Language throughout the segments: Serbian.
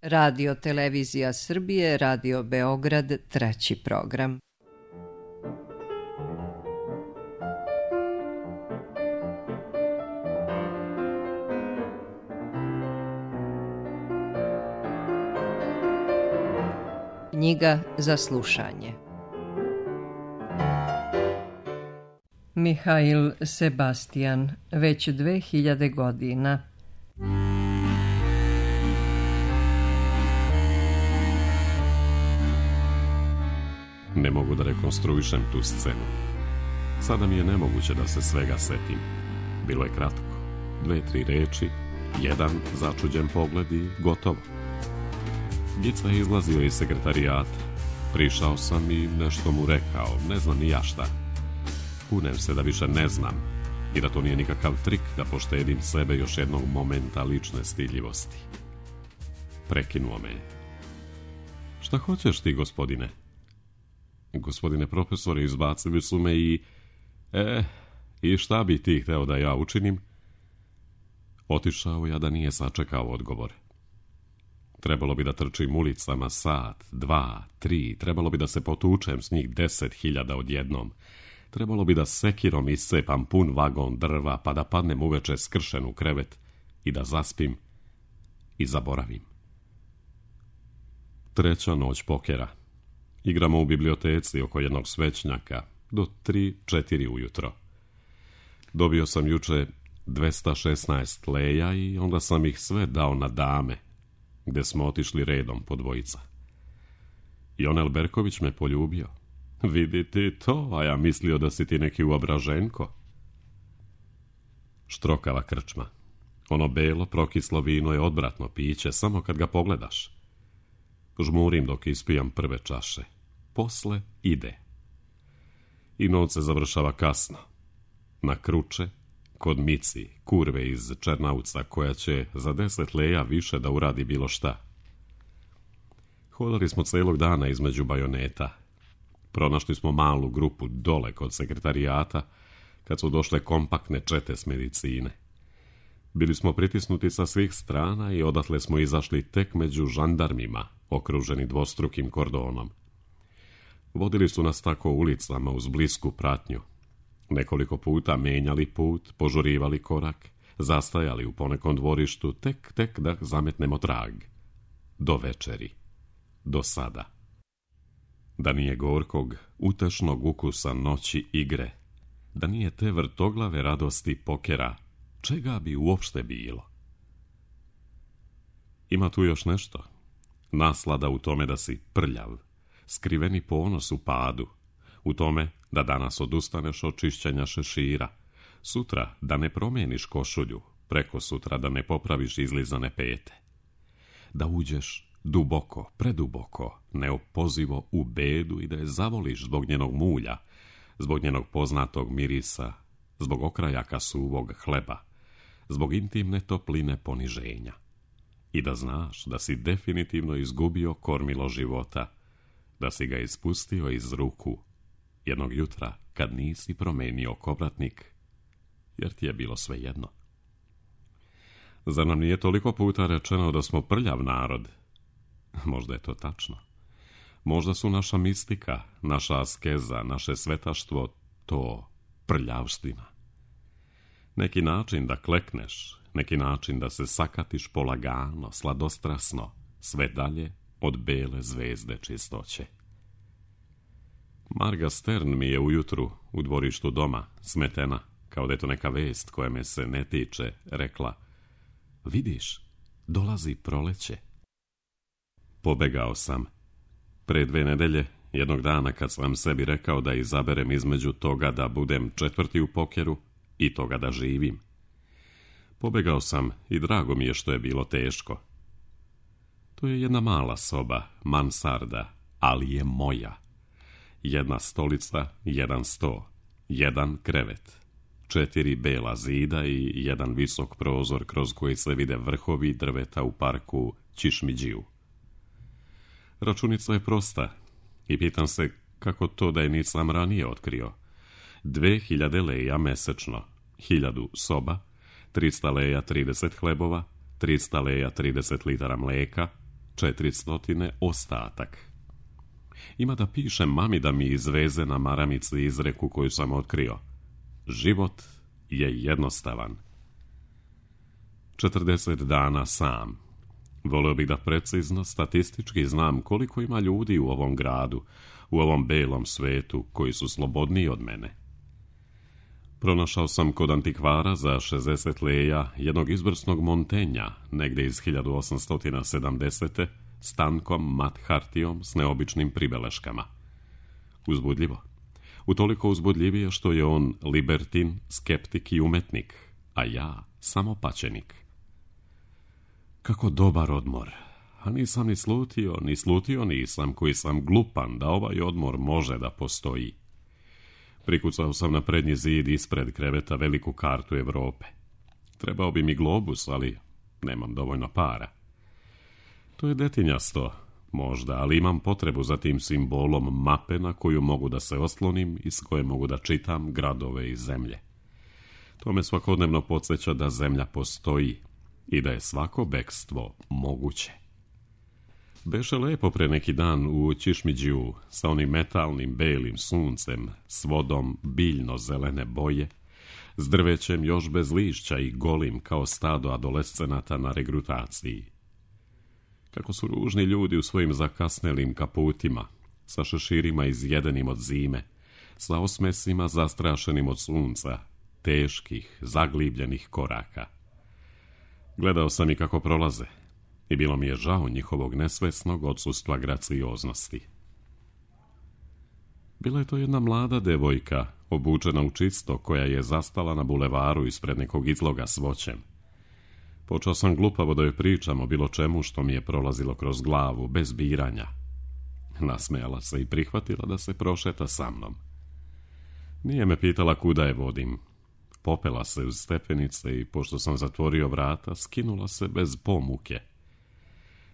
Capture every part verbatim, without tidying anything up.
Radio Televizija Srbije, Radio Beograd, treći program. Knjiga za slušanje. Mihail Sebastian, već dve hiljade godina. Ne mogu da rekonstruišem tu scenu. Sada mi je nemoguće da se svega setim. Bilo je kratko. Dve, tri reči, jedan začuđen pogled i gotovo. Gica je izlazio iz sekretarijata. Prišao sam i nešto mu rekao, ne znam ni ja šta. Kunem se da više ne znam i da to nije nikakav trik da poštedim sebe još jednog momenta lične stidljivosti. Prekinuo me. Šta hoćeš ti, gospodine? Gospodine profesore, izbacili su me i... E, i šta bi ti hteo da ja učinim? Otišao ja da nije sačekao odgovor. Trebalo bi da trčim ulicama sat, dva, tri, trebalo bi da se potučem s njih deset hiljada odjednom. Trebalo bi da sekirom iscepam pun vagon drva, pa da padnem uveče skršen u krevet i da zaspim i zaboravim. Treća noć pokera. Igramo u biblioteci oko jednog svećnjaka do tri, četiri ujutro. Dobio sam juče dvesta šesnaest leja i onda sam ih sve dao na dame, gde smo otišli redom po dvojica. Jonel Berković me poljubio. Vidi ti to, a ja mislio da si ti neki uobraženko. Štrokava krčma. Ono belo, prokislo vino je odvratno piće, samo kad ga pogledaš. Žmurim dok ispijam prve čaše. Posle ide. I noć se završava kasno. Na Kruče, kod Mici, kurve iz Černauca, koja će za deset leja više da uradi bilo šta. Hodali smo celog dana između bajoneta. Pronašli smo malu grupu dole kod sekretarijata, kad su došle kompaktne čete s medicine. Bili smo pritisnuti sa svih strana i odatle smo izašli tek među žandarmima, okruženi dvostrukim kordonom. Vodili su nas tako ulicama uz blisku pratnju. Nekoliko puta menjali put, požurivali korak, zastajali u ponekom dvorištu, tek, tek da zametnemo trag. Do večeri. Do sada. Da nije gorkog, utešnog ukusa noći igre, da nije te vrtoglave radosti pokera, čega bi uopšte bilo? Ima tu još nešto. Naslada u tome da si prljav, skriveni ponos u padu, u tome da danas odustaneš od čišćenja šešira, sutra da ne promijeniš košulju, preko sutra da ne popraviš izlizane pete, da uđeš duboko, preduboko, neopozivo u bedu i da je zavoliš zbog njenog mulja, zbog njenog poznatog mirisa, zbog okrajaka suvog hleba, zbog intimne topline poniženja. I da znaš da si definitivno izgubio kormilo života, da si ga ispustio iz ruku jednog jutra kad nisi promenio kovratnik, jer ti je bilo svejedno. Zar nam nije toliko puta rečeno da smo prljav narod? Možda je to tačno. Možda su naša mistika, naša askeza, naše svetaštvo to prljavština. Neki način da klekneš, neki način da se sakatiš polagano, sladostrasno, sve dalje od bele zvezde čistoće. Marga Stern mi je ujutru u dvorištu doma, smetena, kao da je to neka vest koja me se ne tiče, rekla: vidiš, dolazi proleće. Pobegao sam. Pre dve nedelje, jednog dana kad sam sebi rekao da izaberem između toga da budem četvrti u pokeru i toga da živim. Pobegao sam i drago mi je što je bilo teško. To je jedna mala soba, mansarda, ali je moja. Jedna stolica, jedan sto, jedan krevet, četiri bela zida i jedan visok prozor kroz koji se vide vrhovi drveta u parku Čišmiđiju. Računica je prosta i pitam se kako to da je nisam ranije otkrio. Dve hiljade leja mesečno, hiljadu soba, trista leja trideset hlebova, trista leja trideset litara mleka, četiristotine ostatak. Ima da pišem mami da mi izveze na maramici izreku koju sam otkrio. Život je jednostavan. četrdeset dana sam. Volio bih da precizno, statistički znam koliko ima ljudi u ovom gradu, u ovom belom svetu, koji su slobodniji od mene. Pronašao sam kod antikvara za šezdeset leja jednog izvrsnog Montenja, negdje iz hiljadu osamsto sedamdesete s tankom mat hartijom s neobičnim pribeleškama. Uzbudljivo. Utoliko uzbudljivije što je on libertin, skeptik i umetnik, a ja samo pačenik. Kako dobar odmor. A nisam ni slutio, ni slutio nisam koji sam glupan da ovaj odmor može da postoji. Prikucao sam na prednji zid ispred kreveta veliku kartu Evrope. Trebao bi mi globus, ali nemam dovoljno para. To je detinjasto, možda, ali imam potrebu za tim simbolom mape na koju mogu da se oslonim i s koje mogu da čitam gradove i zemlje. To me svakodnevno podsjeća da zemlja postoji i da je svako bekstvo moguće. Beše lepo pre neki dan u Čišmiđiju sa onim metalnim belim suncem, s vodom biljno zelene boje, s drvećem još bez lišća i golim kao stado adolescenata na regrutaciji. Kako su ružni ljudi u svojim zakasnelim kaputima, sa šeširima izjedenim od zime, sa osmesima zastrašenim od sunca, teških, zaglibljenih koraka. Gledao sam i kako prolaze i bilo mi je žao njihovog nesvesnog odsustva gracioznosti. Bila je to jedna mlada devojka, obučena u čisto, koja je zastala na bulevaru ispred nekog izloga s voćem. Počeo sam glupavo da joj pričam o bilo čemu što mi je prolazilo kroz glavu, bez biranja. Nasmejala se i prihvatila da se prošeta sa mnom. Nije me pitala kuda je vodim. Popela se uz stepenice i, pošto sam zatvorio vrata, skinula se bez pomuke.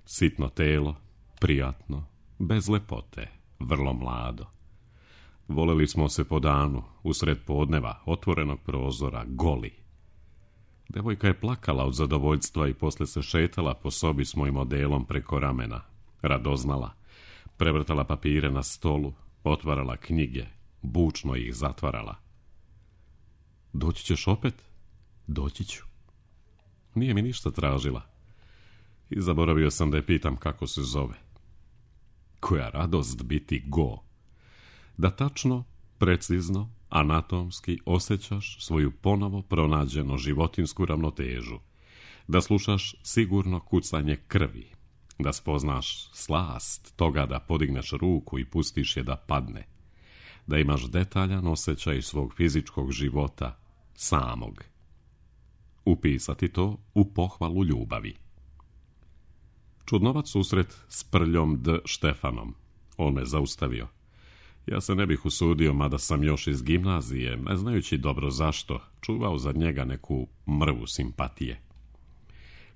Sitno telo, prijatno, bez lepote, vrlo mlado. Voleli smo se po danu, usred podneva, otvorenog prozora, goli. Devojka je plakala od zadovoljstva i posle se šetala po sobi s mojim odelom preko ramena, radoznala, prevrtala papire na stolu, otvarala knjige, bučno ih zatvarala. Doći ćeš opet? Doći ću. Nije mi ništa tražila. I zaboravio sam da je pitam kako se zove. Koja radost biti go. Da tačno, precizno, anatomski osjećaš svoju ponovo pronađeno životinsku ravnotežu. Da slušaš sigurno kucanje krvi. Da spoznaš slast toga da podigneš ruku i pustiš je da padne. Da imaš detaljan osjećaj svog fizičkog života samog. Upisati to u pohvalu ljubavi. Čudnovac susret s Prljom D. Štefanom. On me zaustavio. Ja se ne bih usudio, mada sam još iz gimnazije, ne znajući dobro zašto, čuvao za njega neku mrvu simpatije.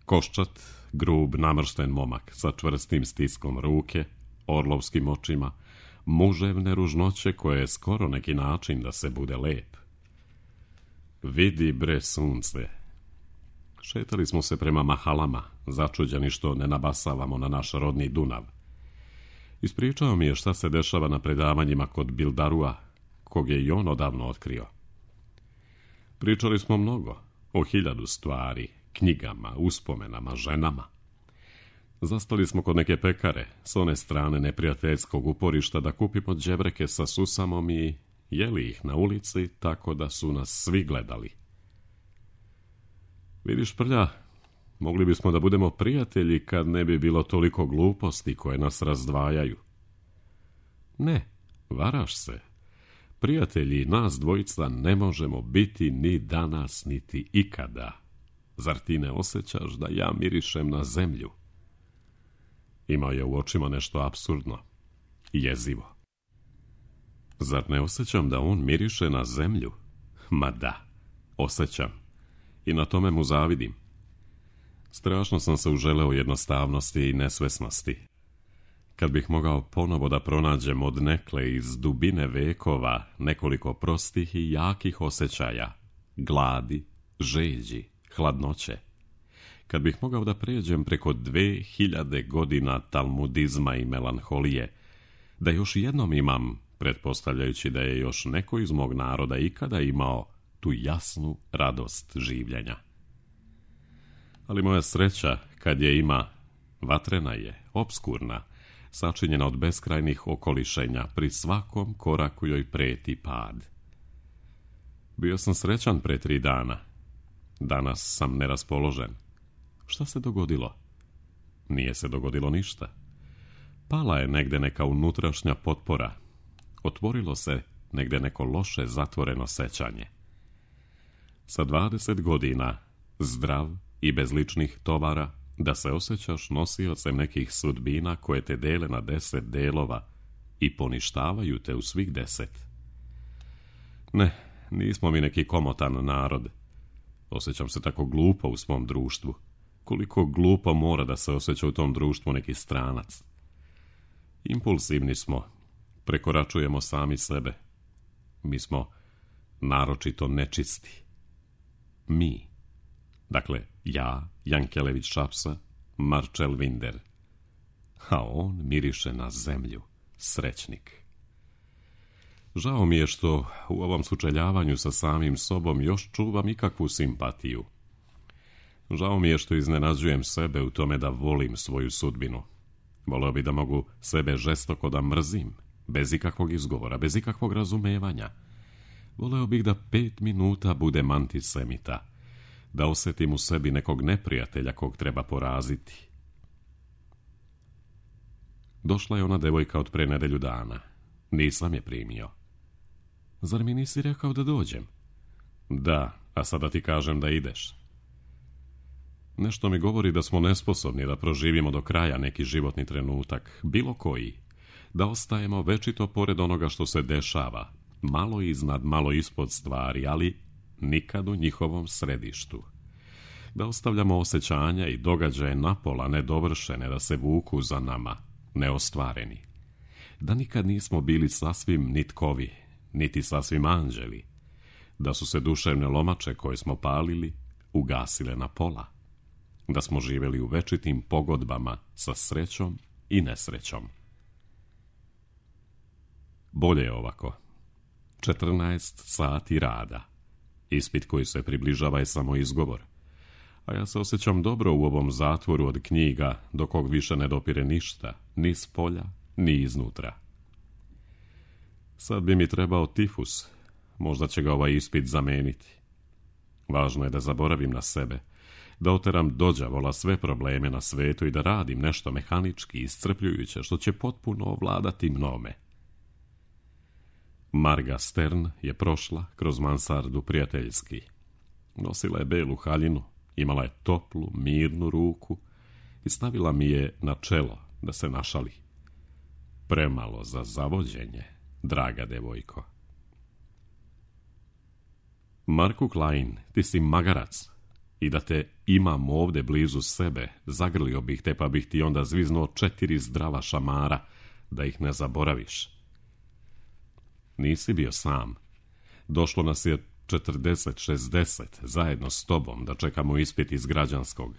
Koščat, grub, namršten momak sa čvrstim stiskom ruke, orlovskim očima, muževne ružnoće koje je skoro neki način da se bude lep. Vidi bre sunce. Šetali smo se prema mahalama, začuđeni što ne nabasavamo na naš rodni Dunav. Ispričao mi je šta se dešava na predavanjima kod Bildarua, kog je i on odavno otkrio. Pričali smo mnogo, o hiljadu stvari, knjigama, uspomenama, ženama. Zastali smo kod neke pekare, s one strane neprijateljskog uporišta, da kupimo đebreke sa susamom i jeli ih na ulici, tako da su nas svi gledali. Vidiš, Prlja, mogli bismo da budemo prijatelji kad ne bi bilo toliko gluposti koje nas razdvajaju. Ne, varaš se. Prijatelji nas dvojica ne možemo biti ni danas, niti ikada. Zar ti ne osjećaš da ja mirišem na zemlju? Imao je u očima nešto apsurdno i jezivo. Zar ne osjećam da on miriše na zemlju? Ma da, osjećam. I na tome mu zavidim. Strašno sam se uželeo jednostavnosti i nesvesnosti. Kad bih mogao ponovo da pronađem od nekle iz dubine vekova nekoliko prostih i jakih osjećaja, gladi, žeđi, hladnoće. kad bih mogao da pređem preko dve hiljade godina talmudizma i melanholije, da još jednom imam, pretpostavljajući da je još neko iz mog naroda ikada imao tu jasnu radost življenja. Ali moja sreća, kad je ima, vatrena je, obskurna, sačinjena od beskrajnih okolišenja, pri svakom koraku joj preti pad. Bio sam srećan pre tri dana. Danas sam neraspoložen. Šta se dogodilo? Nije se dogodilo ništa. Pala je negde neka unutrašnja potpora. Otvorilo se negde neko loše zatvoreno sećanje. Sa dvadeset godina, zdrav i bez ličnih tovara, da se osjećaš nosiocem nekih sudbina koje te dele na deset delova i poništavaju te u svih deset. Ne, nismo mi neki komotan narod. Osjećam se tako glupo u svom društvu. Koliko glupo mora da se osjeća u tom društvu neki stranac. Impulsivni smo, prekoračujemo sami sebe. Mi smo naročito nečisti. Mi. Dakle, ja, Jankelević Šapsa, Marčel Vinder. A on miriše na zemlju, srećnik. Žao mi je što u ovom sučeljavanju sa samim sobom još čuvam ikakvu simpatiju. Žao mi je što iznenađujem sebe u tome da volim svoju sudbinu. Voleo bi da mogu sebe žestoko da mrzim, bez ikakvog izgovora, bez ikakvog razumevanja. Voleo bih da pet minuta budem antisemita, da osjetim u sebi nekog neprijatelja kog treba poraziti. Došla je ona devojka od pre nedelju dana. Nisam je primio. Zar mi nisi rekao da dođem? Da, a sada ti kažem da ideš. Nešto mi govori da smo nesposobni da proživimo do kraja neki životni trenutak, bilo koji, da ostajemo večito pored onoga što se dešava, malo iznad, malo ispod stvari, ali nikad u njihovom središtu. Da ostavljamo osjećanja i događaje napola nedovršene, da se vuku za nama, neostvareni. Da nikad nismo bili sasvim nitkovi, niti sasvim anđeli. Da su se duševne lomače koje smo palili ugasile na pola. Da smo živjeli u večitim pogodbama sa srećom i nesrećom. Bolje je ovako. četrnaest sati rada. Ispit koji se približava je samo izgovor. A ja se osjećam dobro u ovom zatvoru od knjiga, do kog više ne dopire ništa, ni s polja, ni iznutra. Sad bi mi trebao tifus, možda će ga ovaj ispit zameniti. Važno je da zaboravim na sebe, da oteram dođavola sve probleme na svetu i da radim nešto mehanički, iscrpljujuće, što će potpuno ovladati mnome. Marga Stern je prošla kroz mansardu prijateljski. Nosila je belu haljinu, imala je toplu, mirnu ruku i stavila mi je na čelo da se našali. Premalo za zavođenje, draga devojko. Marku Klein, ti si magarac i da te imam ovde blizu sebe, zagrlio bih te pa bih ti onda zviznuo četiri zdrava šamara, da ih ne zaboraviš. Nisi bio sam. Došlo nas je četrdeset šezdeset zajedno s tobom da čekamo ispit iz građanskog.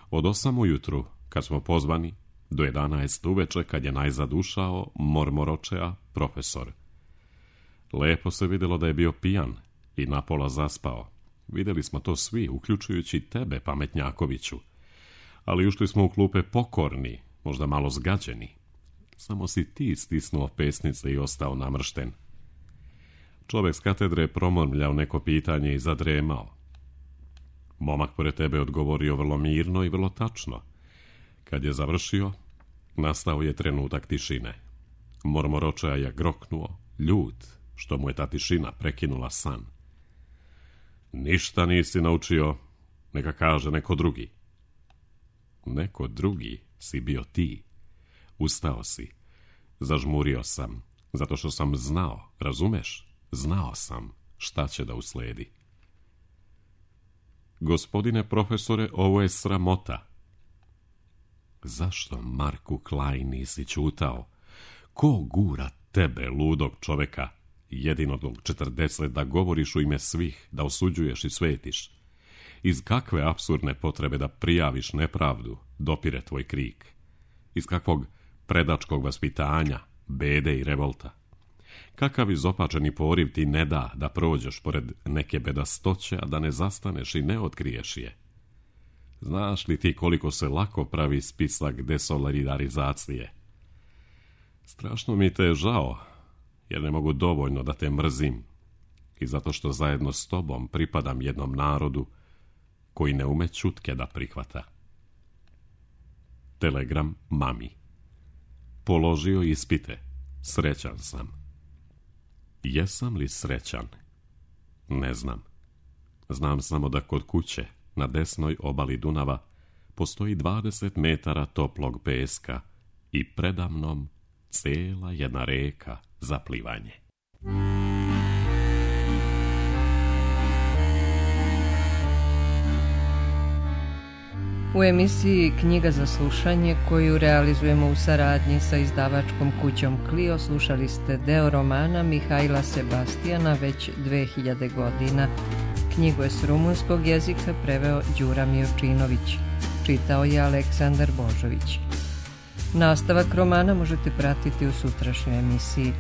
Od osam ujutru, kad smo pozvani, do jedanaest uveče kad je najzad ušao Mormoročea profesor. Lepo se vidjelo da je bio pijan i napola zaspao. Vidjeli smo to svi, uključujući tebe, pametnjakoviću. Ali ušli smo u klupe pokorni, možda malo zgađeni. Samo si ti stisnuo pesnice i ostao namršten. Čovjek s katedre je promrmljao neko pitanje i zadremao. Momak pored tebe odgovorio vrlo mirno i vrlo tačno. Kad je završio, nastao je trenutak tišine. Mormoročea je groknuo, ljut, što mu je ta tišina prekinula san. Ništa nisi naučio, neka kaže neko drugi. Neko drugi si bio ti. Ustao si. Zažmurio sam, zato što sam znao, razumeš? Znao sam šta će da usledi. Gospodine profesore, ovo je sramota. Zašto, Marku Klein, nisi ćutao? Ko gura tebe, ludog čoveka, jedinog četrdeset, da govoriš u ime svih, da osuđuješ i svetiš? Iz kakve apsurdne potrebe da prijaviš nepravdu dopire tvoj krik? Iz kakvog predačkog vaspitanja, bede i revolta? Kakav izopačeni poriv ti ne da da prođeš pored neke bedastoće, a da ne zastaneš i ne otkriješ je? Znaš li ti koliko se lako pravi spisak desolidarizacije? Strašno mi te je žao, jer ne mogu dovoljno da te mrzim i zato što zajedno s tobom pripadam jednom narodu koji ne ume ćutke da prihvata. Telegram mami. Položio ispite. Srećan sam. Jesam li srećan? Ne znam. Znam samo da kod kuće, na desnoj obali Dunava, postoji dvadeset metara toplog peska i predamnom cela jedna reka za plivanje. U emisiji Knjiga za slušanje, koju realizujemo u saradnji sa izdavačkom kućom Clio, slušali ste deo romana Mihajla Sebastijana Već dve hiljade godina. Knjigu je s rumunskog jezika preveo Đura Miočinović. Čitao je Aleksandar Božović. Nastavak romana možete pratiti u sutrašnjoj emisiji.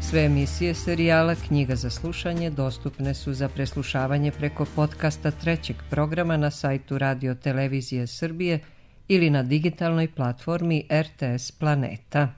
Sve emisije serijala Knjiga za slušanje dostupne su za preslušavanje preko podcasta trećeg programa na sajtu Radio Televizije Srbije ili na digitalnoj platformi R T S Planeta.